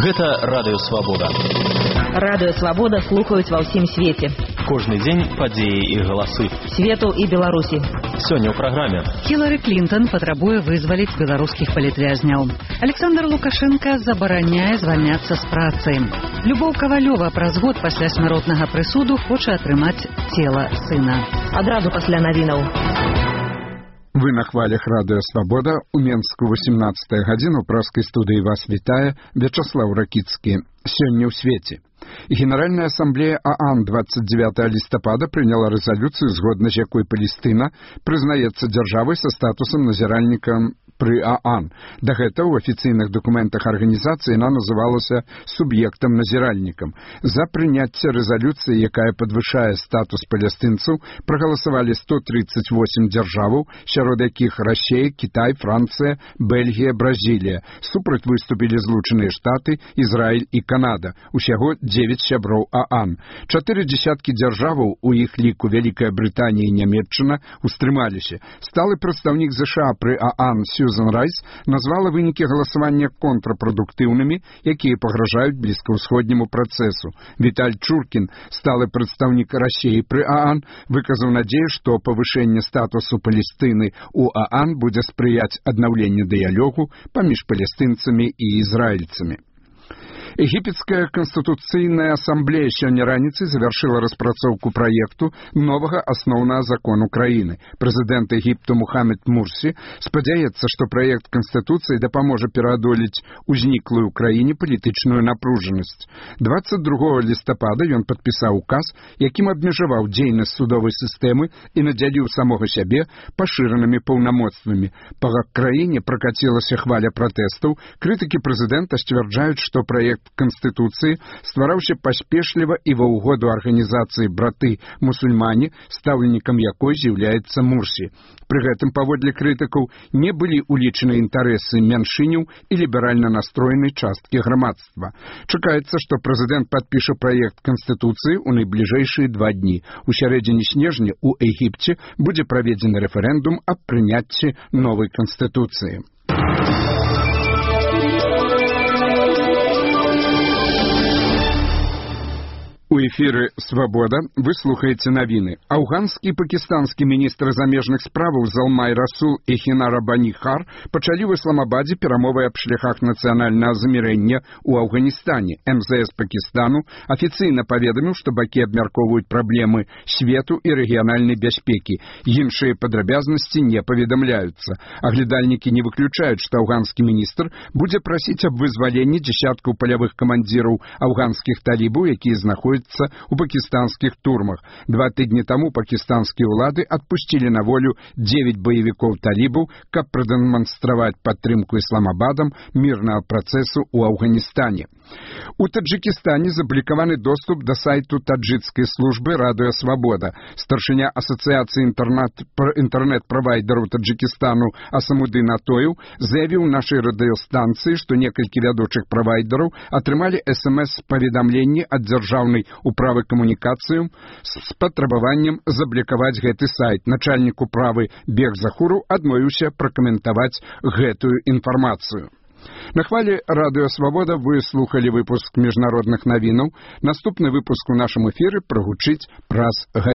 Гэта Радыё Свабода. Радыё Свабода слухаюць ва ўсім свеце. Кожны дзень падзеі і галасы. Свету і Беларусі. Сёння ў праграме. Хілары Клінтон патрабуе вызваліць беларускіх палітвязняў. Александр Лукашенко забараняе звальняцца з працы. Любоў Кавалёва праз год пасля смяротнага прысуду хоча атрымаць цела сына. Адразу пасля навінаў. Вы на хвалях Радыё Свабода. У Менску 18 гадзіна. У праскай студыі вас вітае Вячаслаў Ракіцкі. Сёння ў свеце. Генеральная ассамблея ААН 29 лістапада прыняла рэзалюцыю, згодна з якой Палестына прызнаецца дзяржавай са статусам назіральніка пры ААН. Да гэта ў афіцыйных дакументах арганізацыі яна называлася суб'ектам-назіральнікам. За прыняцце рэзалюцыі, якая падвышае статус палестынцаў, прагаласавалі 138 дзяржаваў, сярод якіх Расія, Кітай, Францыя, Бельгія, Бразілія. Супраць выступілі Злучаныя Штаты, Ізраіль і Канада. Усяго 9 сяброў ААН. 4 дзясяткі дзяржаваў, у іх ліку Вялікая Брытанія і Нямецчына, устрымаліся. Сталы прадстаўнік ЗША пры ААН Сьюзан Райс назвала вынікі галасавання контрапрадуктыўнымі, якія пагражаюць блізкаўсходняму працэсу. Віталь Чуркін, сталы прадстаўнік Расіі пры ААН, выказаў надзею, што павышэнне статусу Палестыны ў ААН будзе спрыяць аднаўленню дыялогу паміж палестынцамі і ізраільцамі. Егіпецкая канстытуцыйная асамблея сёння раніцай завяршыла распрацоўку праекту новага асноўнага закону краіны. Прэзідэнт Егіпту Мухаммед Мурсі спадзяецца, што праект канстытуцыі дапаможа пераадолець узніклую ў краіне палітычную напружанасць. 22 лістапада ён падпісаў указ, якім абмежаваў дзейнасць судовай сістэмы і надзяліў самога сябе пашыранымі паўнамоцтвамі. Па краіне пракацілася хваля пратэстаў. Крытыкі прэзідэнта сцвярджаюць, што праект Канстытуцыі ствараўся паспешліва і ва ўгоду арганізацыі браты-мусульмане, стаўленікам якой з'яўляецца Мурсі. Пры гэтым, паводле крытыкаў, не былі ўлічаны інтарэсы мяншыняў і ліберальна настроенай часткі грамадства. Чакаецца, што прэзідэнт падпіша праект Канстытуцыі ў найбліжэйшыя 2 дні. У сярэдзіне снежня ў Егіпце будзе праведзены рэферэндум аб прыняцці новай Канстытуцыі. У эфіры «Свабода» вы слухаеце навіны. Афганскі і пакістанскі міністры замежных справаў Залмай Расул і Хінара Бані-Хар пачалі ў Ісламабадзе перамовы аб шляхах нацыянальнага замірэння ў Афганістане. МЗС Пакістану афіцыйна паведаміў, што бакі абмяркоўваюць праблемы свету і рэгіянальнай бяспекі. Іншыя падрабязнасці не паведамляюцца. Аглядальнікі не выключаюць, што афганскі міністр будзе прасіць аб вызваленні дзясяткаў палявых камандзіраў афганскіх талібаў, якія знаходзяцца у пакістанскіх турмах. 2 тыдні таму пакістанскія ўлады адпусцілі на волю 9 баевікоў талібаў, каб прадэманстраваць падтрымку Ісламабадам мірнага працэсу ў Афганістане. У Таджикістане заблікаваны доступ да сайту таджикскай службы Радыё Свабода. Старшыня асацыяцыі інтэрнэт-правайдераў Таджикістану Асамудын Атоев заявіў нашай радыёстанцыі, што некалькі вядучых правайдераў атрымалі СМС-паведамленні ад дзяржаўнай управы камунікацыяў з патрабаваннем заблікаваць гэты сайт. Начальнік управы Бег Захуру адмовіўся пракаментаваць гэтую інфармацыю. На хвале Радыё Свабода вы слухалі выпуск міжнародных навінаў. Наступны выпуск у нашым эфіры прагучыць праз